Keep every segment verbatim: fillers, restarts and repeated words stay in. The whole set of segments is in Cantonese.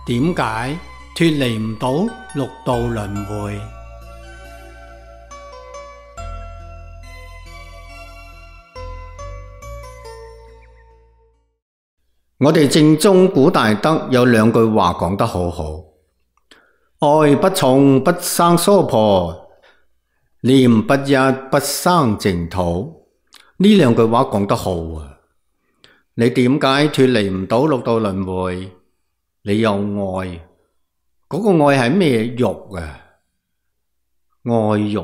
點解脫離唔到六道輪迴？我哋正宗古大德有兩句話講得好好：愛不重不生娑婆，念不一不生淨土。呢兩句話講得好啊！你點解脫離唔到六道輪迴？你有愛，嗰個愛係咩欲啊？愛欲，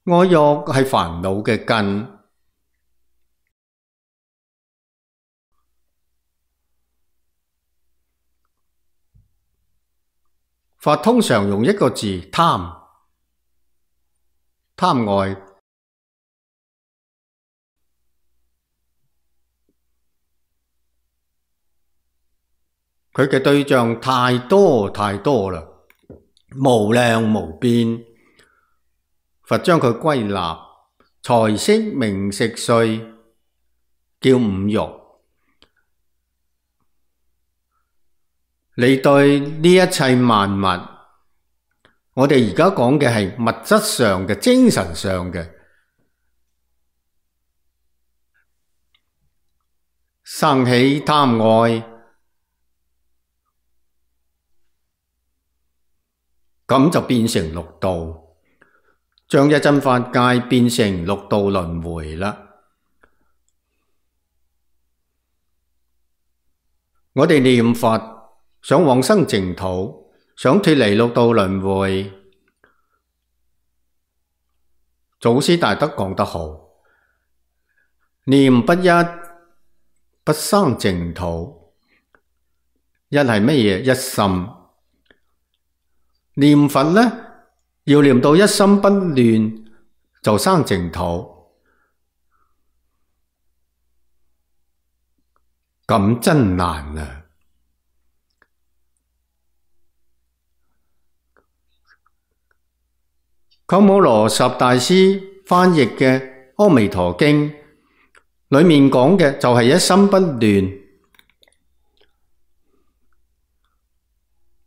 愛欲係煩惱嘅根。佛通常用一個字貪，貪愛。佢嘅對象太多太多啦，無量無邊。佛將佢歸納財色名食睡，叫五欲。你對呢一切萬物，我哋而家講嘅係物質上嘅、精神上嘅，生起貪愛，咁就變成六道，將一真法界變成六道輪迴啦。我哋念佛想往生淨土，想脫離六道輪迴。祖師大德講得好：念不一不生淨土。一係乜嘢？一心。念佛呢，要念到一心不亂，就生淨土。咁真難啊！鳩摩羅什大師翻譯嘅《阿彌陀經》裏面講嘅就係一心不亂。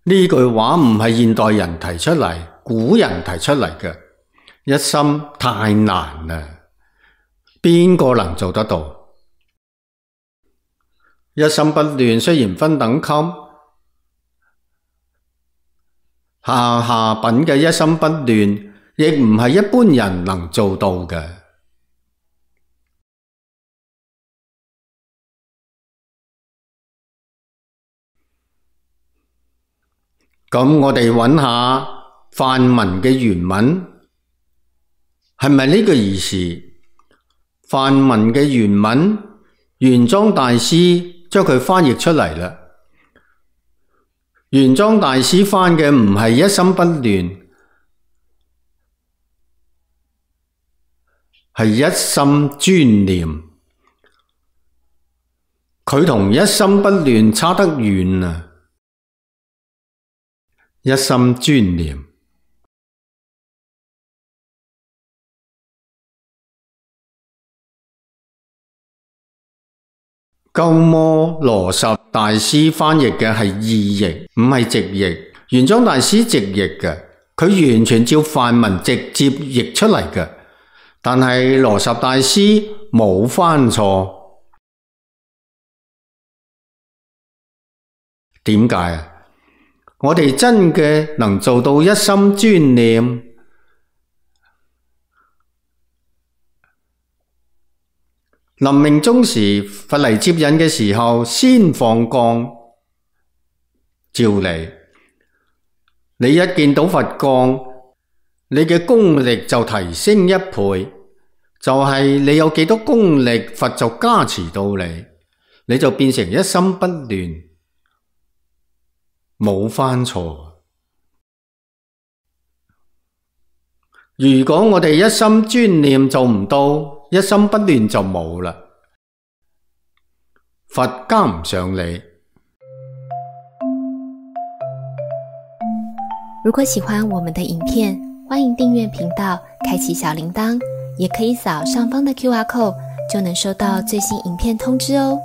呢句話唔係現代人提出嚟，古人提出嚟嘅。一心太難啦，邊個能做得到？一心不亂雖然分等級，下下品嘅一心不亂，亦唔係一般人能做到嘅。咁我哋揾下梵文嘅原文，係咪呢個意思？梵文嘅原文，玄奘大師將佢翻譯出嚟啦。玄奘大師翻嘅唔係一心不亂，係一心專念。佢同一心不亂差得遠啊！一心專念，鳩摩羅什大師翻譯嘅係意譯，唔係直譯。玄奘大師直譯嘅，佢完全照梵文直接譯出嚟嘅。但係羅什大師冇翻錯，點解啊？我哋真嘅能做到一心專念，臨命終時，佛嚟接引嘅時候，先放光照你。你一見到佛光，你嘅功力就提升一倍，就係你有幾多功力，佛就加持到你，你就變成一心不亂，冇翻錯。如果我哋一心專念做唔到，一心不亂就冇啦，佛加唔上你。如果喜歡我們的影片，歡迎訂閱頻道，開啟小鈴鐺，也可以掃上方的 Q R code，就能收到最新影片通知哦。